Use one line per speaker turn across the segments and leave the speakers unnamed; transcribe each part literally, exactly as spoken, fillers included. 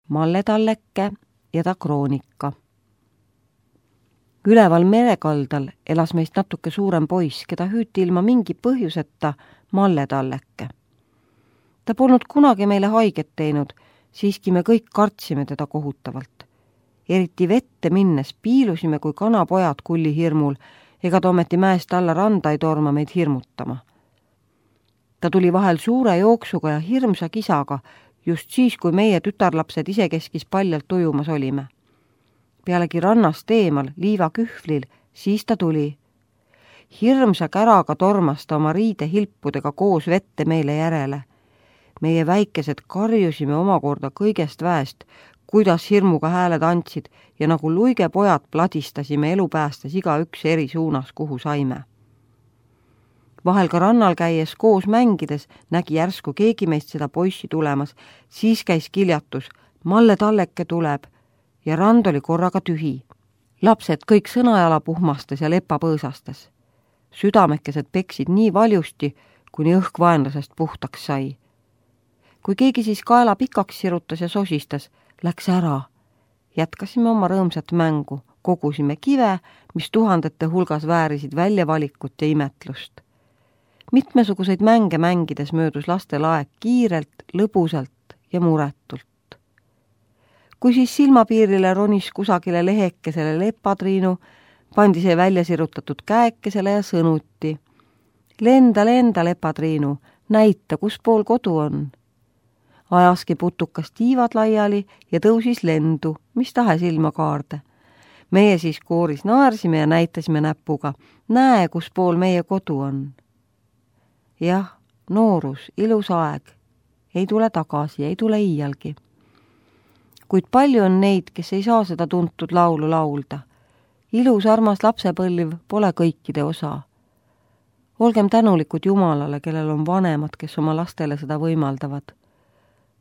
Malle Talleke ja ta kroonika. Üleval merekaldal elas meist natuke suurem poiss, keda hüüti ilma mingi põhjuseta Malle Talleke. Ta polnud kunagi meile haiget teinud, siiski me kõik kartsime teda kohutavalt. Eriti vette minnes piilusime kui kanapojad kulli hirmul, ega ta ometi mäest alla randa ei torma meid hirmutama. Ta tuli vahel suure jooksuga ja hirmsa kisaga, just siis, kui meie tütarlapsed isekeskis paljalt ujumas olime. Pealegi rannast eemal, liiva kühvlil, siis ta tuli. Hirmsa käraga tormas ta oma riide hilpudega koos vette meile järele. Meie väikesed karjusime omakorda kõigest väest, kuidas hirmuga hääled andsid ja nagu luige pojad pladistasime elu päästes iga üks eri suunas, kuhu saime. Vahel ka rannal käies koos mängides nägi järsku keegi meist seda poissi tulemas, siis käis kiljatus, Malle Talleke tuleb ja rand oli korraga tühi. Lapsed kõik sõnajala puhmastes ja lepapõõsastes. Südamekesed peksid nii valjusti, kuni õhk vaenlasest puhtaks sai. Kui keegi siis kaela pikaks sirutas ja sosistas, läks ära. Jätkasime oma rõõmsat mängu, kogusime kive, mis tuhandete hulgas väärisid väljavalikut ja imetlust. Mitmesuguseid mänge mängides möödus lastel aeg kiirelt, lõbusalt ja muretult. Kui siis silmapiirile ronis kusagile lehekesele lepatriinu, pandi see välja sirutatud käekesele ja sõnuti. Lenda, lenda, lepatriinu, näita, kus pool kodu on. Ajaski putukas tiivad laiali ja tõusis lendu, mis tahes ilma kaarde. Meie siis kooris naersime ja näitasime näpuga, näe, kus pool meie kodu on. Jah, noorus, ilus aeg, ei tule tagasi, ei tule iialgi. Kuid palju on neid, kes ei saa seda tuntud laulu laulda. Ilus armas lapsepõlv pole kõikide osa. Olgem tänulikud Jumalale, kellel on vanemad, kes oma lastele seda võimaldavad.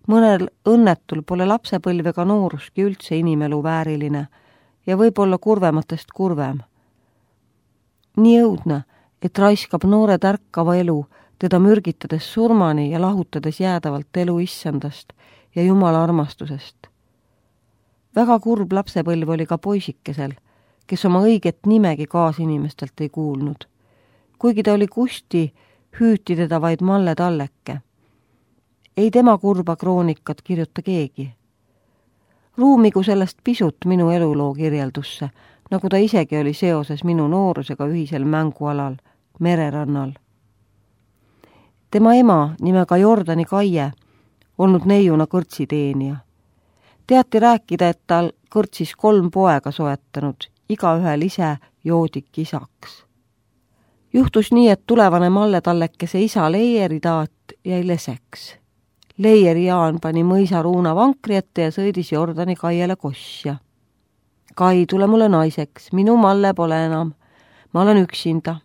Mõnel õnnetul pole lapsepõlv ega nooruski üldse inimelu vääriline ja võib-olla kurvematest kurvem. Nii õudne, et raiskab noore tärkava elu, teda mürgitades surmani ja lahutades jäädavalt elu issandast ja Jumala armastusest. Väga kurb lapsepõlv oli ka poisikesel, kes oma õiget nimegi kaasinimestelt ei kuulnud. Kuigi ta oli Kusti, hüüti teda vaid Malle Talleke. Ei tema kurba kroonikat kirjuta keegi. Ruumigu sellest pisut minu eluloo kirjeldusse, nagu ta isegi oli seoses minu noorusega ühisel mängualal, mererannal. Tema ema nimega Jordani Kaie, olnud neiuna kõrtsiteenija. Teati rääkida, et tal kõrtsis kolm poega soetanud, igaühel ise joodik isaks. Juhtus nii, et tulevane Malle Tallekese isa Leieri taat jäi leseks. Leieri Jaan pani mõisa Ruuna vankri ette ja sõidis Jordani Kaiele kosja. Kai, tule mulle naiseks, minu Malle pole enam, ma olen üksinda.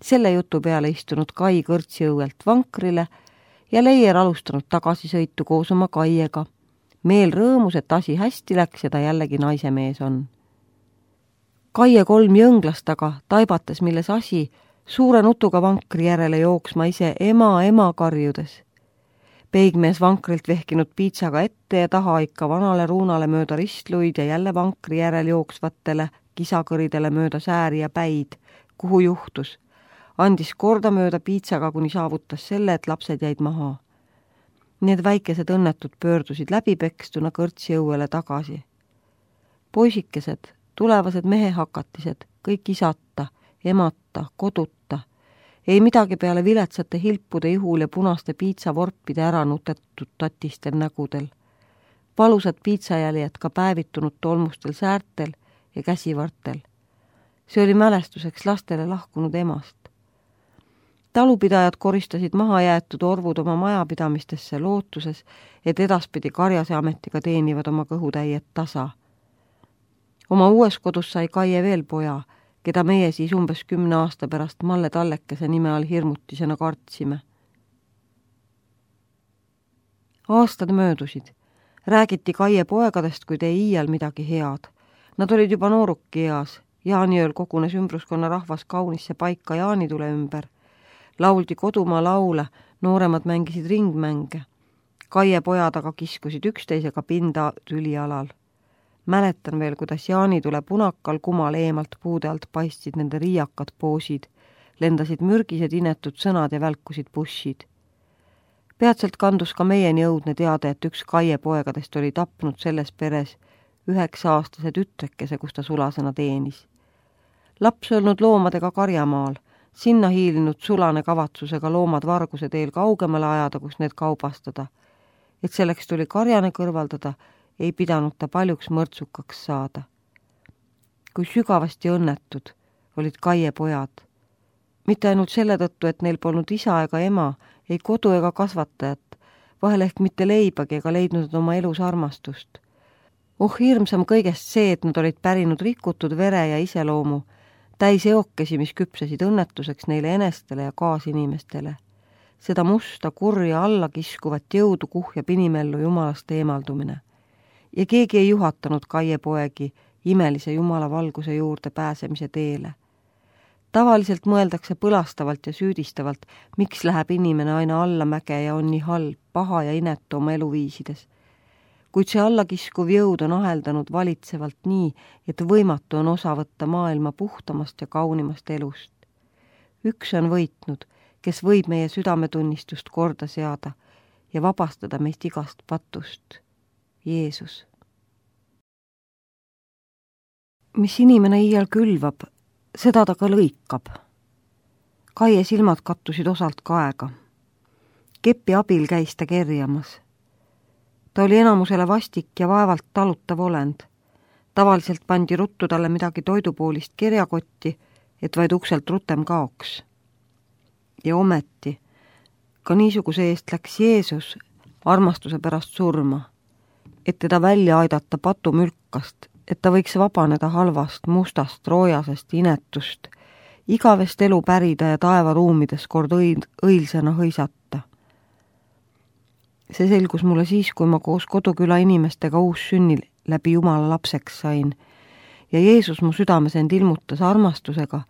Selle jutu peale istunud Kai kõrtsi õuelt vankrile ja Leier alustanud tagasisõitu koos oma Kaiega. Meel rõõmus, et asi hästi läks ja ta jällegi naise mees on. Kaie kolm jõnglast aga, taibates milles asi, suure nutuga vankri järele jooksma ise ema, ema karjudes. Peigmees vankrilt vehkinud piitsaga ette ja taha ikka vanale Ruunale mööda ristluid ja jälle vankri järel jooksvatele kisakõridele mööda sääri ja päid, kuhu juhtus. Andis korda mööda piitsaga, kuni saavutas selle, et lapsed jäid maha. Need väikesed õnnetud pöördusid läbipekstuna kõrtsi õuele tagasi. Poisikesed, tulevased mehehakatised, kõik isata, emata, koduta, ei midagi peale viletsate hilpude ihul ja punaste piitsavorpide ära nutetud tatistel nägudel. Valusad piitsajäljed ka päevitunud tolmustel säärtel ja käsivartel. See oli mälestuseks lastele lahkunud emast. Talupidajad koristasid maha jäetud orvud oma majapidamistesse lootuses, et edaspidi karjase ametiga teenivad oma kõhutäiet tasa. Oma uues kodus sai Kaie veel poja, keda meie siis umbes kümne aasta pärast Malle Tallekese nime all hirmutisena kartsime. Aastad möödusid. Räägiti Kaie poegadest, kuid ei iial midagi head. Nad olid juba nooruki eas. Jaaniööl kogunes ümbruskonna rahvas kaunisse paika jaanitule ümber. Lauldi kodumaa laule, nooremad mängisid ringmänge. Kaie pojad aga kiskusid üksteisega pinda tülialal. Mäletan veel, kuidas jaanitule punakal kumal eemalt puude alt paistsid nende riiakad poosid, lendasid mürgised inetud sõnad ja välkusid bussid. Peatselt kandus ka meieni õudne teade, et üks Kaie poegadest oli tapnud selles peres üheksa-aastase tütrekese, kus ta sulasena teenis. Laps olnud loomadega karjamaal, sinna hiilinud sulane kavatsusega loomad varguse teel kaugemale ajada, kus need kaubastada. Et selleks tuli karjane kõrvaldada, ei pidanud ta paljuks mõrtsukaks saada. Kui sügavasti õnnetud olid Kaie pojad. Mitte ainult selle tõttu, et neil polnud isa ega ema, ei kodu ega kasvatajat, vahel ehk mitte leibagi ega leidnud oma elus armastust. Oh hirmsam kõigest see, et nad olid pärinud rikutud vere ja iseloomu, täis eokesi, mis küpsesid õnnetuseks neile enestele ja kaasinimestele. Seda musta, kurja alla kiskuvat jõudu kuhjab inimellu jumalast eemaldumine. Ja keegi ei juhatanud Kaie poegi imelise jumala valguse juurde pääsemise teele. Tavaliselt mõeldakse põlastavalt ja süüdistavalt, miks läheb inimene aina allamäge ja on nii halb, paha ja inetu oma eluviisides. Kuid see allakiskuv jõud on aheldanud valitsevalt nii, et võimatu on osa võtta maailma puhtamast ja kaunimast elust. Üks on võitnud, kes võib meie südametunnistust korda seada ja vabastada meist igast patust. Jeesus. Mis inimene iial külvab, seda ta ka lõikab. Kaie silmad kattusid osalt kaega. Kepi abil käis ta kerjamas. Ta oli enamusele vastik ja vaevalt talutav olend. Tavaliselt pandi ruttu talle midagi toidupoolist kerjakotti, et vaid ukselt rutem kaoks. Ja ometi, ka niisuguse eest läks Jeesus armastuse pärast surma, et teda välja aidata patumülkast, et ta võiks vabaneda halvast, mustast, roojasest, inetust, igavest elu pärida ja taevaruumides kord õil, õilsena hõisata. See selgus mulle siis, kui ma koos koduküla inimestega uussünnil läbi Jumala lapseks sain ja Jeesus mu südames end ilmutas armastusega,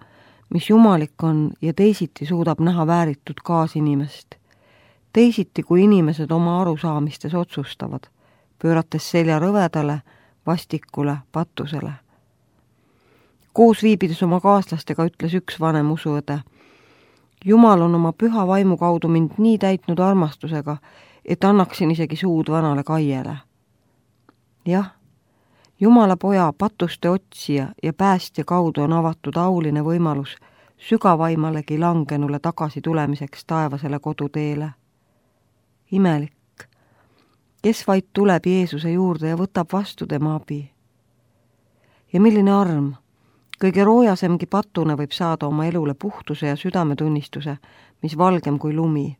mis jumalik on ja teisiti suudab näha vääritud kaasinimest. Teisiti, kui inimesed oma arusaamistes otsustavad, pöörates selja rõvedale, vastikule, patusele. Koos viibides oma kaaslastega ütles üks vanem usuõde. Jumal on oma püha vaimu kaudu mind nii täitnud armastusega, et annaksin isegi suud vanale Kaiele. Jah, Jumala poja patuste otsija ja päästja kaudu on avatud auline võimalus sügavaimalegi langenule tagasi tulemiseks taevasele koduteele. Imelik, kes vaid tuleb Jeesuse juurde ja võtab vastu tema abi. Ja milline arm, kõige roojasemgi patune võib saada oma elule puhtuse ja südametunnistuse, mis valgem kui lumi.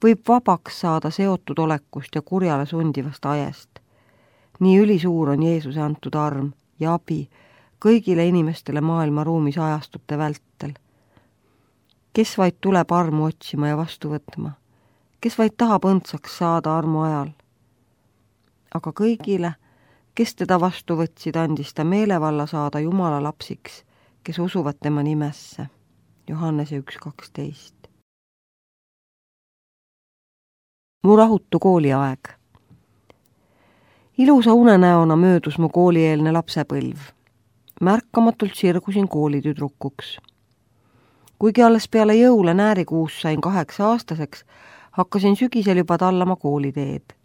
Võib vabaks saada seotud olekust ja kurjale sundivast ajest. Nii ülisuur on Jeesuse antud arm ja abi kõigile inimestele maailma ruumis ajastute vältel. Kes vaid tuleb armu otsima ja vastu võtma, kes vaid tahab õndsaks saada armu ajal. Aga kõigile, kes teda vastu võtsid, andis ta meelevalla saada Jumala lapsiks, kes usuvad tema nimesse. Johannese üks kaksteist. Mu rahutu kooliaeg. Ilusa unenäona möödus mu koolieelne lapsepõlv. Märkamatult sirgusin koolitüdrukuks. Kuigi alles peale jõule näärikuus sain kaheksa aastaseks, hakkasin sügisel juba tallama kooliteed.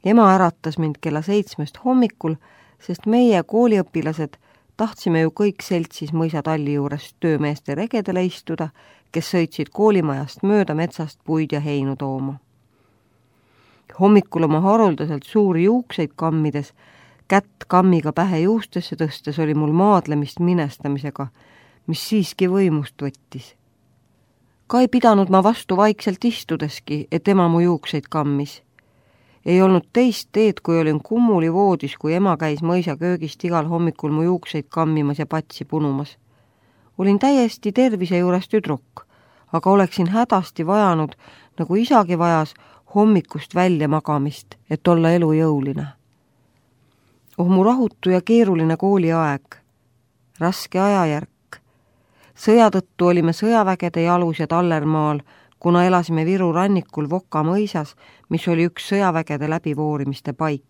Ema äratas mind kella seitsmest hommikul, sest meie kooliõpilased tahtsime ju kõik seltsis mõisatalli juures töömeeste regedele istuda, kes sõitsid koolimajast mööda metsast puid ja heinu tooma. Hommikul oma haruldaselt suuri juukseid kammides, kätt kammiga pähe juustesse tõstes oli mul maadlemist minestamisega, mis siiski võimust võttis. Ka ei pidanud ma vastu vaikselt istudeski, et ema mu juukseid kammis. Ei olnud teist teed, kui olin kummuli voodis, kui ema käis mõisa köögist igal hommikul mu juukseid kammimas ja patsi punumas. Olin täiesti tervise juures tüdruk, aga oleksin hädasti vajanud, nagu isagi vajas, hommikust välja magamist, et olla elujõuline. Oh mu rahutu ja keeruline kooliaeg, raske ajajärk. Sõja tõttu olime sõjavägede jalus ja tallermaal, kuna elasime Viru rannikul Voka mõisas, mis oli üks sõjavägede läbivoorimiste paik.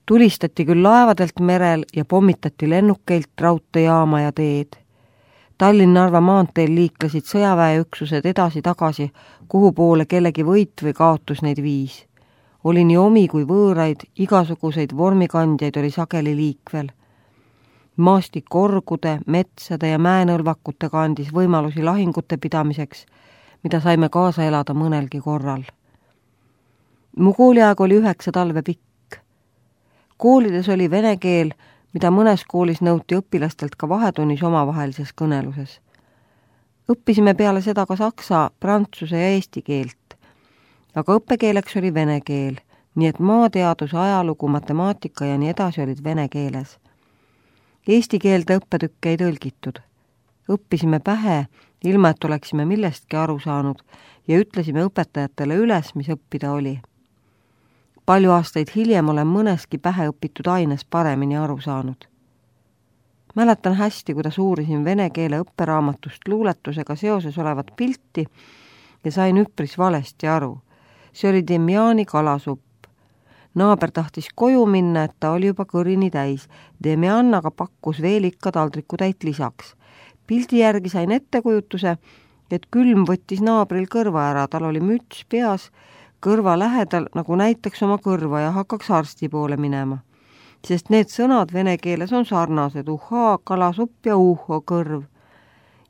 Tulistati küll laevadelt merel ja pommitati lennukeilt raudteejaama ja teed. Tallinn-Narva maanteel liiklesid sõjaväeüksused edasi-tagasi, kuhu poole kellegi võit või kaotus neid viis. Oli nii omi kui võõraid, igasuguseid vormikandjaid oli sageli liikvel. Maastik orgude, metsade ja mäenõlvakutega andis võimalusi lahingute pidamiseks, mida saime kaasa elada mõnelgi korral. Mu kooliaeg oli üheksa talve pikk. Koolides oli vene keel, mida mõnes koolis nõuti õpilastelt ka vahetunnis omavahelises kõneluses. Õppisime peale seda ka saksa, prantsuse ja eesti keelt, aga õppekeeleks oli vene keel, nii et maateadus, ajalugu, matemaatika ja nii edasi olid vene keeles. Eesti keelde õppetükke ei tõlgitud. Õppisime pähe, ilma et oleksime millestki aru saanud ja ütlesime õpetajatele üles, mis õppida oli. Palju aastaid hiljem olen mõneski pähe õpitud aines paremini aru saanud. Mäletan hästi, kuidas uurisin vene keele õpperaamatust luuletusega seoses olevat pilti ja sain üpris valesti aru. See oli Demjani kalasupp. Naaber tahtis koju minna, et ta oli juba kõrini täis. Demjan aga pakkus veel ikka taldrikutäit lisaks. Pildi järgi sain ettekujutuse, et külm võttis naabril kõrva ära, tal oli müts peas, kõrva lähedal, nagu näiteks oma kõrva ja hakkaks arsti poole minema. Sest need sõnad vene keeles on sarnased, uhaa, kalasupp ja uho, kõrv.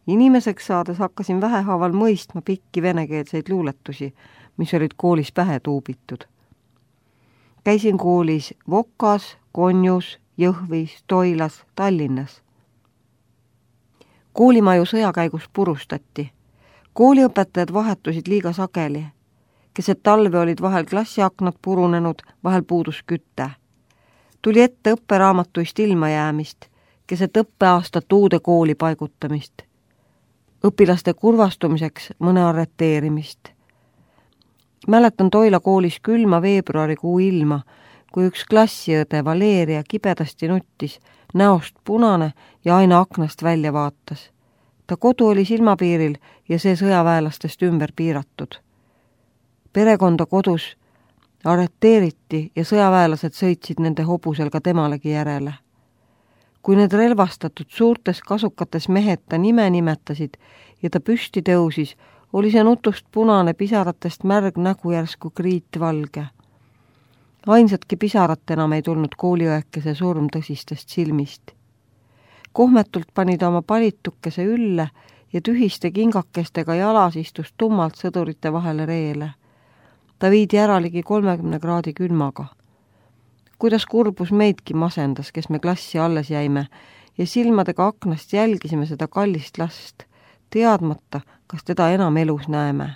Inimeseks saades hakkasin vähehaaval mõistma pikki venekeelseid luuletusi, mis olid koolis pähe tuubitud. Käisin koolis Vokas, Konjus, Jõhvis, Toilas, Tallinnas. Koolimaju sõjakäigus purustati. Kooliõpetajad vahetusid liiga sageli. Keset talve olid vahel klassiaknad purunenud, vahel puudus kütte. Tuli ette õpperaamatuist ilma jäämist, keset õppeaastat uude kooli paigutamist. Õpilaste kurvastumiseks mõne arreteerimist. Mäletan Toila koolis külma veebruarikuu ilma, kui üks klassiõde Valeria kibedasti nuttis, näost punane ja aina aknast välja vaatas. Ta kodu oli silmapiiril ja see sõjaväelastest ümber piiratud. Perekonda kodus arreteeriti ja sõjaväelased sõitsid nende hobusel ka temalegi järele. Kui need relvastatud suurtes kasukates mehed ta nime nimetasid ja ta püsti tõusis, oli see nutust punane, pisaratest märg nägu järsku kriitvalge. Ainsatki pisarat enam ei tulnud kooliõekese surm tõsistest silmist. Kohmetult pani ta oma palitukese ülle ja tühiste kingakestega jalas istus tummalt sõdurite vahele reele. Ta viidi ära ligi kolmekümne kraadi külmaga. Kuidas kurbus meidki masendas, kes me klassi alles jäime ja silmadega aknast jälgisime seda kallist last, teadmata, kas teda enam elus näeme.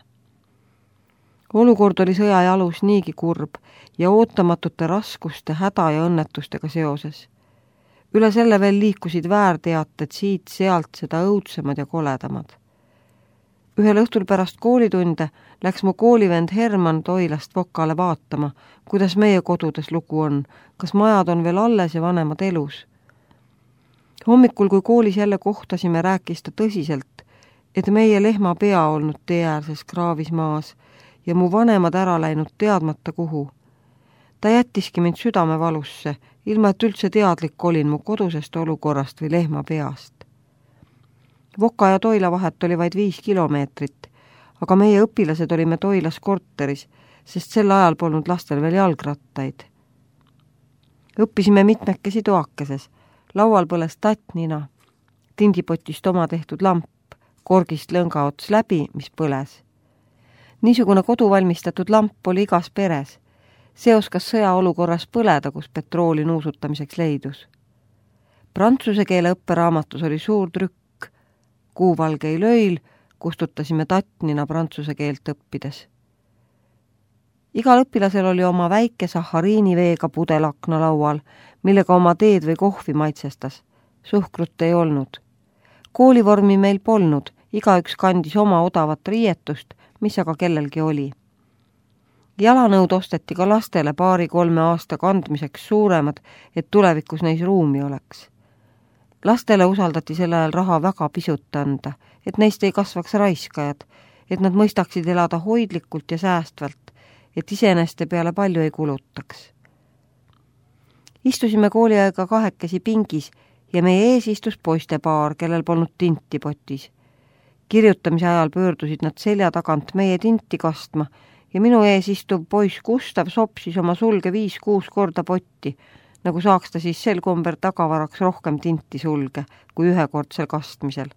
Olukord oli sõja jalus niigi kurb ja ootamatute raskuste, häda ja õnnetustega seoses. Üle selle veel liikusid väärteated siit-sealt seda õudsemad ja koledamad. Ühel õhtul pärast koolitunde läks mu koolivend Herman Toilast Vokale vaatama, kuidas meie kodudes lugu on, kas majad on veel alles ja vanemad elus. Hommikul, kui koolis jälle kohtasime, rääkis ta tõsiselt, et meie lehma pea olnud teeäärses kraavis maas ja mu vanemad ära läinud teadmata kuhu. Ta jättiski mind südamevalusse, ilma et üldse teadlik olin mu kodusest olukorrast või lehma peast. Voka ja Toila vahet oli vaid viis kilomeetrit, aga meie õpilased olime Toilas korteris, sest sel ajal polnud lastel veel jalgrattaid. Õppisime mitmekesi toakeses, laual põles tattnina, tindipotist oma tehtud lamp, korgist lõnga ots läbi, mis põles. Niisugune koduvalmistatud lamp oli igas peres. See oskas sõjaolukorras põleda, kus petrooli nuusutamiseks leidus. Prantsuse keele õpperaamatus oli suur trükk. Kuuvalgei löil kustutasime tattnina prantsuse keelt õppides. Igal õpilasel oli oma väike sahariiniveega pudel akna laual, millega oma teed või kohvi maitsestas. Suhkrut ei olnud. Koolivormi meil polnud, igaüks kandis oma odavat riietust, mis aga kellelgi oli. Jalanõud osteti ka lastele paari-kolme aasta kandmiseks suuremad, et tulevikus neis ruumi oleks. Lastele usaldati sel ajal raha väga pisut anda, et neist ei kasvaks raiskajad et nad mõistaksid elada hoidlikult ja säästvalt, et iseeneste peale palju ei kulutaks. Istusime kooliaega kahekesi pingis ja meie ees istus poistepaar, kellel polnud tinti potis. Kirjutamise ajal pöördusid nad selja tagant meie tinti kastma ja minu ees istuv poiss Gustav sopsis oma sulge viis-kuus korda potti, nagu saaks ta siis sel komber tagavaraks rohkem tinti sulge kui ühekordsel kastmisel.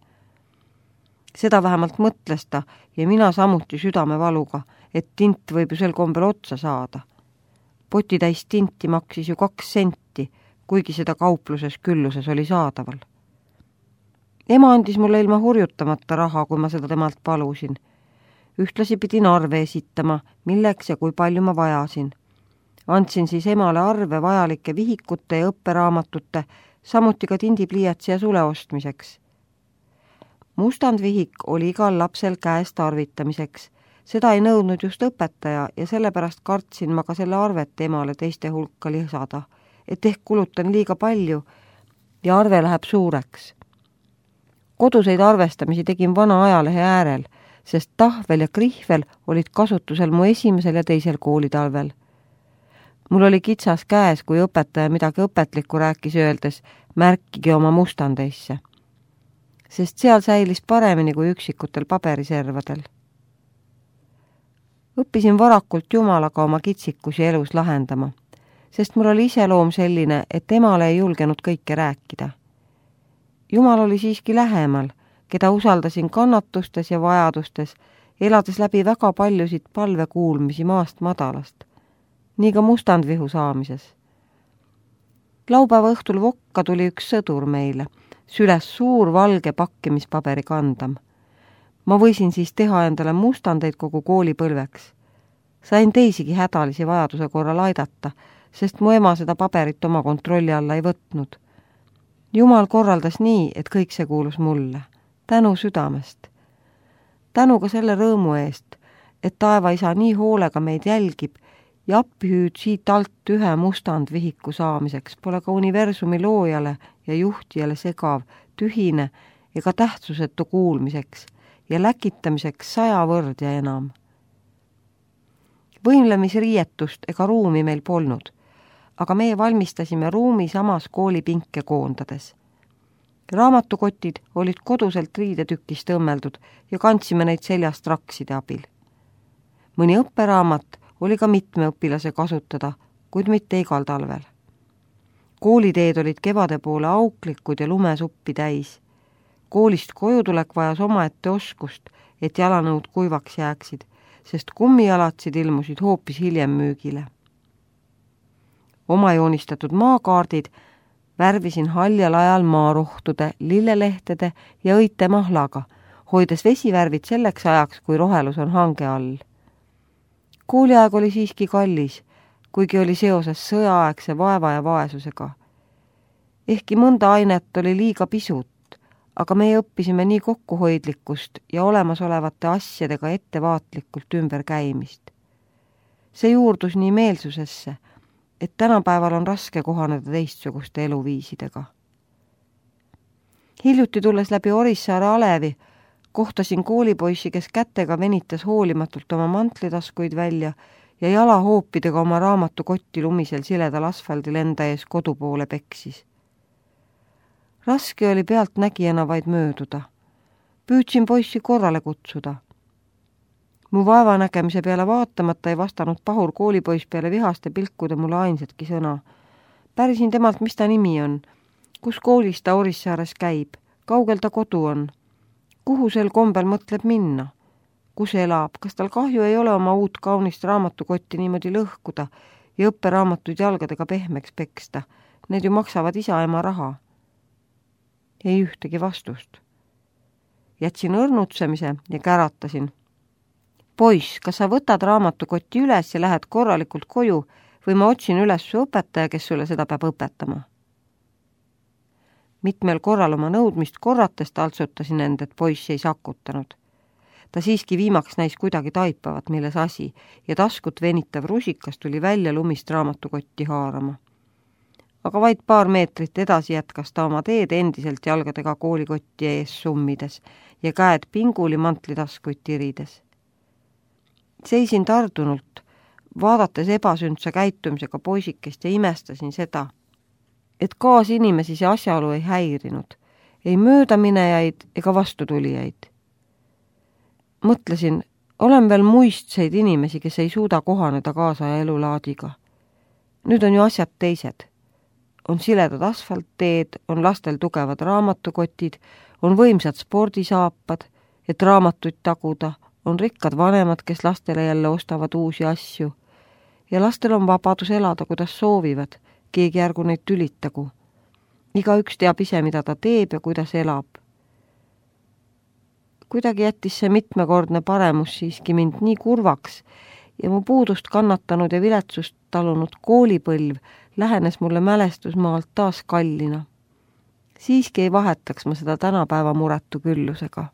Seda vähemalt mõtles ta ja mina samuti südamevaluga, et tint võib ju sel kombel otsa saada. Potitäis tinti maksis ju kaks senti, kuigi seda kaupluses külluses oli saadaval. Ema andis mulle ilma hurjutamata raha, kui ma seda temalt palusin. Ühtlasi pidin arve esitama, milleks ja kui palju ma vajasin. Andsin siis emale arve vajalike vihikute ja õpperaamatute, samuti ka tindipliiatsi ja sule ostmiseks. Mustandvihik oli igal lapsel käes tarvitamiseks. Seda ei nõudnud just õpetaja ja sellepärast kartsin ma ka selle arvet emale teiste hulka lisada, et ehk kulutan liiga palju ja arve läheb suureks. Koduseid arvestamisi tegin vana ajalehe äärel, sest tahvel ja krihvel olid kasutusel mu esimesel ja teisel koolitalvel. Mul oli kitsas käes, kui õpetaja midagi õpetlikku rääkis öeldes, märkige oma mustandeisse, sest seal säilis paremini kui üksikutel paberiservadel. Õppisin varakult Jumalaga oma kitsikusi elus lahendama, sest mul oli iseloom selline, et emale ei julgenud kõike rääkida. Jumal oli siiski lähemal, keda usaldasin kannatustes ja vajadustes, elades läbi väga paljusid palvekuulmisi maast madalast, nii ka mustandvihu saamises. Laupäeva õhtul vokka tuli üks sõdur meile, süles suur valge pakkimispaberi kandam. Ma võisin siis teha endale mustandeid kogu koolipõlveks. Sain teisigi hädalisi vajaduse korral aidata, sest mu ema seda paberit oma kontrolli alla ei võtnud. Jumal korraldas nii, et kõik see kuulus mulle. Tänu südamest. Tänu ka selle rõõmu eest, et taevaisa nii hoolega meid jälgib ja appihüüd siit alt ühe mustandvihiku saamiseks pole ka universumi loojale ja juhtijale segav, tühine ega tähtsusetu kuulmiseks ja läkitamiseks saja võrd ja enam. Võimlemisriietust ega ruumi meil polnud, aga meie valmistasime ruumi samas koolipinke koondades. Raamatukotid olid koduselt riidetükist õmmeldud ja kandsime neid seljast rakside abil. Mõni õpperaamat oli ka mitme õpilase kasutada, kuid mitte igal talvel. Kooliteed olid kevade poole auklikud ja lumesuppi täis. Koolist koju tulek vajas omaette oskust, et jalanõud kuivaks jääksid, sest kummijalatsid ilmusid hoopis hiljem müügile. Oma joonistatud maakaardid värvisin haljal ajal maarohtude, lillelehtede ja õite mahlaga, hoides vesivärvid selleks ajaks, kui rohelus on hange all. Kooliaeg oli siiski kallis, kuigi oli seoses sõjaaegse vaeva ja vaesusega. Ehkki mõnda ainet oli liiga pisut, aga meie õppisime nii kokkuhoidlikkust ja olemasolevate asjadega ettevaatlikult ümber käimist. See juurdus nii meelsusesse, et tänapäeval on raske kohaneda teistsuguste eluviisidega. Hiljuti tulles läbi Orissaare alevi, kohtasin koolipoissi, kes kätega venitas hoolimatult oma mantlitaskuid välja ja jalahoopidega oma raamatukotti lumisel siledal asfaldil enda ees kodu poole peksis. Raske oli pealtnägijana vaid mööduda. Püüdsin poissi korrale kutsuda. Mu vaevanägemise peale vaatamata ei vastanud pahur koolipoiss peale vihaste pilkude mulle ainsatki sõna. Pärisin temalt, mis ta nimi on, kus koolis ta Orissaares käib, kaugel ta kodu on, kuhu sel kombel mõtleb minna, kus elab, kas tal kahju ei ole oma uut kaunist raamatukotti niimoodi lõhkuda ja õpperaamatuid jalgadega pehmeks peksta. Need ju maksavad isa-ema raha. Ei ühtegi vastust. Jätsin õrnutsemise ja käratasin. Poiss, kas sa võtad raamatukotti üles ja lähed korralikult koju või ma otsin üles su õpetaja, kes sulle seda peab õpetama? Mitmel korral oma nõudmist korrates taltsutasin end, et poiss ei sakutanud. Ta siiski viimaks näis kuidagi taipavat, milles asi, ja taskut venitav rusikas tuli välja lumist raamatukotti haarama. Aga vaid paar meetrit edasi jätkas ta oma teed endiselt jalgadega koolikotti ees summides ja käed pinguli mantlitaskuid tirides. Seisin tardunult, vaadates ebasündsa käitumisega poisikest ja imestasin seda, et kaasinimesi see asjaolu ei häirinud, ei möödaminejaid ega vastutulijaid. Mõtlesin, olen veel muistseid inimesi, kes ei suuda kohaneda kaasaja elulaadiga. Nüüd on ju asjad teised. On siledad asfaltteed, on lastel tugevad raamatukotid, on võimsad spordisaapad, et raamatuid taguda, on rikkad vanemad, kes lastele jälle ostavad uusi asju ja lastel on vabadus elada, kuidas soovivad, keegi ärgu neid tülitagu. Igaüks teab ise, mida ta teeb ja kuidas elab. Kuidagi jättis see mitmekordne paremus siiski mind nii kurvaks ja mu puudust kannatanud ja viletsust talunud koolipõlv lähenes mulle mälestusmaalt taas kallina. Siiski ei vahetaks ma seda tänapäeva muretu küllusega.